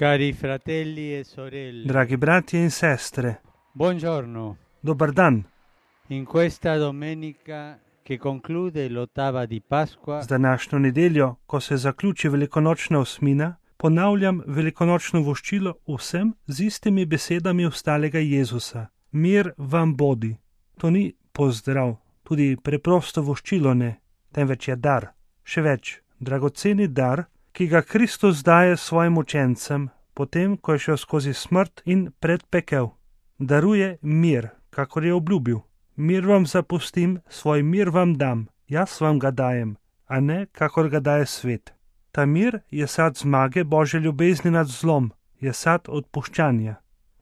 Cari fratelli e sorelle, Dragi bratje in sestre, buongiorno. dobar dan. In questa domenica che conclude l'ottava di Pasqua, Z današnjo nedeljo, ko se zaključi velikonočna osmina, ponavljam velikonočno voščilo vsem z istimi besedami ostalega Jezusa. Mir vam bodi. To ni pozdrav, tudi preprosto voščilo ne, temveč je dar. Še več, dragoceni dar, ki ga Kristus daje svojim učencem, potem, ko je šel skozi smrt in predpekel. Daruje mir, kakor je obljubil. Mir vam zapustim, svoj mir vam dam, jaz vam ga dajem, a ne, kakor ga daje svet. Ta mir je sad zmage Božje ljubezni nad zlom, je sad odpuščanja.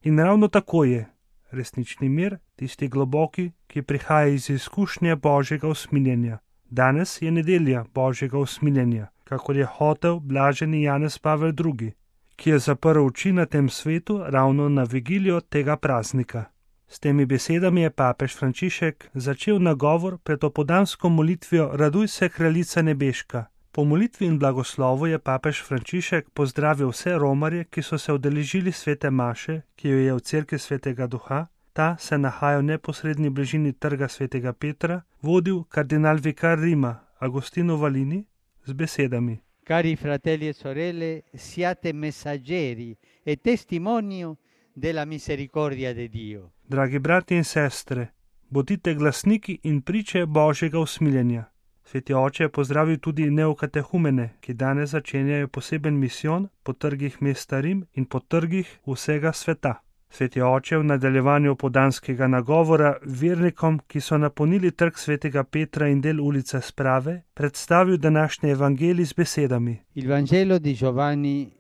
In ravno tako je. Resnični mir, tisti globoki, ki prihaja iz izkušnje Božjega usmiljenja. Danes je nedelja Božjega usmiljenja, kakor je hotel blaženi Janez Pavel II., ki je zaprl oči na tem svetu ravno na vigilijo tega praznika. S temi besedami je papež Frančišek začel nagovor pred opoldansko molitvijo Raduj se, kraljica nebeška. Po molitvi in blagoslovu je papež Frančišek pozdravil vse romarje, ki so se udeležili svete maše, ki jo je v cerkvi svetega Duha. Ta se nahaja v neposredni bližini trga svetega Petra, vodil kardinal vikar Rima Agostino Valini z besedami: cari fratelli e sorelle, siate messaggeri e testimonio della misericordia di Dio. Dragi brati in sestre, bodite glasniki in priče Božjega usmiljenja. Sveti oče je pozdravil tudi neokatehumene, ki danes začenjajo poseben misijon po trgih mesta Rim in po trgih vsega sveta. Sveti oče v nadaljevanju opoldanskega nagovora vernikom, ki so napolnili trg svetega Petra in del ulice Sprave, predstavil današnji evangelij z besedami. Il Vangelo di Giovanni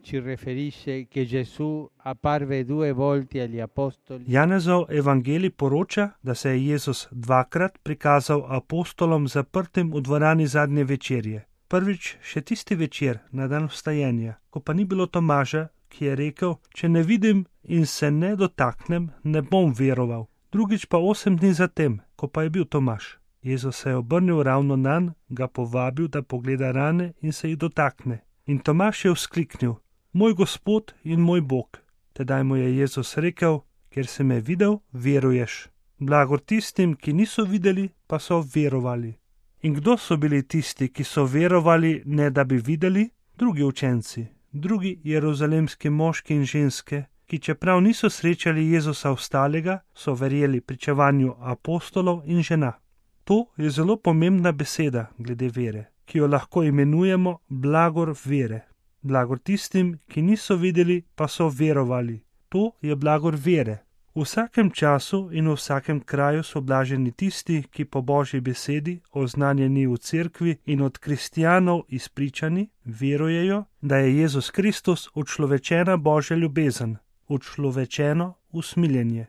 ci riferisce che Gesù apparve 2 volte agli apostoli. Janezov evangelij poroča, da se je Jezus dvakrat prikazal apostolom zaprtim v dvorani zadnje večerje. Prvič še tisti večer, na dan vstajenja, ko pa ni bilo Tomaža, ki je rekel, če ne vidim in se ne dotaknem, ne bom veroval. Drugič pa 8 dni zatem, ko pa je bil Tomaž. Jezus se je obrnil ravno nanj, ga povabil, da pogleda rane in se jih dotakne. In Tomaž je vzkliknil: Moj Gospod in moj Bog. Tedaj mu je Jezus rekel: Ker si me videl, veruješ. Blagor tistim, ki niso videli, pa so verovali. In kdo so bili tisti, ki so verovali, ne da bi videli? Drugi učenci, drugi jeruzalemski moški in ženske, ki čeprav niso srečali Jezusa ostalega, so verjeli pričevanju apostolov in žena. To je zelo pomembna beseda glede vere, ki jo lahko imenujemo blagor vere. Blagor tistim, ki niso videli, pa so verovali. To je blagor vere. V vsakem času in v vsakem kraju so blaženi tisti, ki po Božji besedi, oznanjeni v cerkvi in od kristjanov izpričani, verujejo, da je Jezus Kristus učlovečena Božja ljubezen, učlovečeno usmiljenje.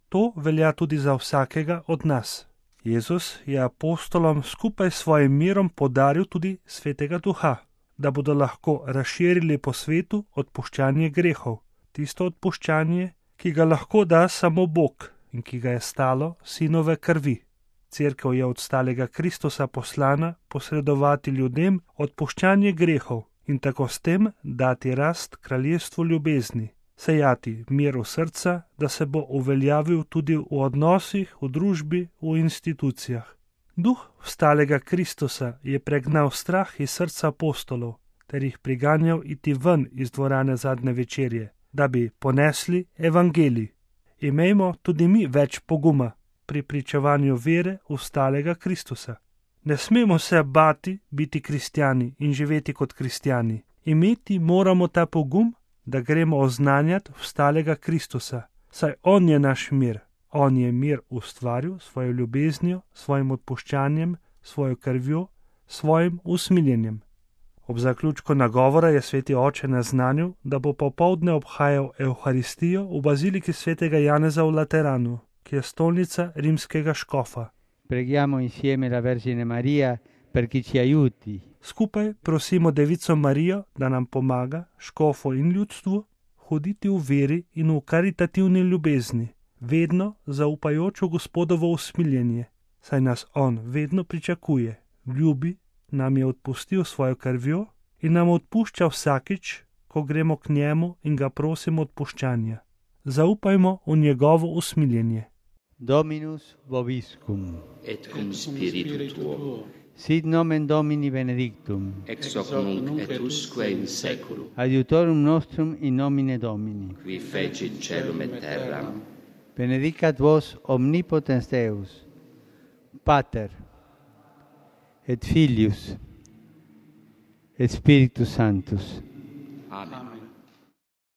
To velja tudi za vsakega od nas. Jezus je apostolom skupaj s svojim mirom podaril tudi svetega Duha, da bodo lahko razširili po svetu odpuščanje grehov, tisto odpuščanje, ki ga lahko da samo Bog in ki ga je stalo sinove krvi. Cerkev je od stalega Kristusa poslana posredovati ljudem odpuščanje grehov in tako s tem dati rast kraljestvu ljubezni, sejati mir v srca, da se bo uveljavil tudi v odnosih, v družbi, v institucijah. Duh vstalega Kristusa je pregnal strah iz srca apostolov ter jih priganjal iti ven iz dvorane zadnje večerje, da bi ponesli evangelij. Imejmo tudi mi več poguma pri pričevanju vere vstalega Kristusa. Ne smemo se bati biti kristjani in živeti kot kristjani. Imeti moramo ta pogum, da gremo oznanjati vstalega Kristusa, saj on je naš mir. On je mir ustvaril svojo ljubeznijo, svojim odpuščanjem, svojo krvjo, svojim usmiljenjem. Ob zaključku nagovora je sveti oče naznanil, da bo popoldne obhajal Evharistijo v baziliki svetega Janeza v Lateranu, ki je stolnica rimskega škofa. Preghiamo insieme la Vergine Maria perché ci aiuti. Skupaj prosimo Devico Marijo, da nam pomaga, škofu in ljudstvu, hoditi v veri in v karitativni ljubezni, vedno zaupajoč v Gospodovo usmiljenje, saj nas on vedno pričakuje, ljubi, nam je odpustil svojo krvjo in nam odpušča vsakič, ko gremo k njemu in ga prosimo odpuščanja. Zaupajmo v njegovo usmiljenje. Dominus vobiscum. Et cum spiritu tuo. Sit nomen Domini benedictum. Ex hoc nunc et usque in saeculum. Adiutorum nostrum in nomine Domini. Qui fecit caelum et terram. Benedicat vos omnipotens Deus, Pater, et Filius, et Spiritus Sanctus. Amen.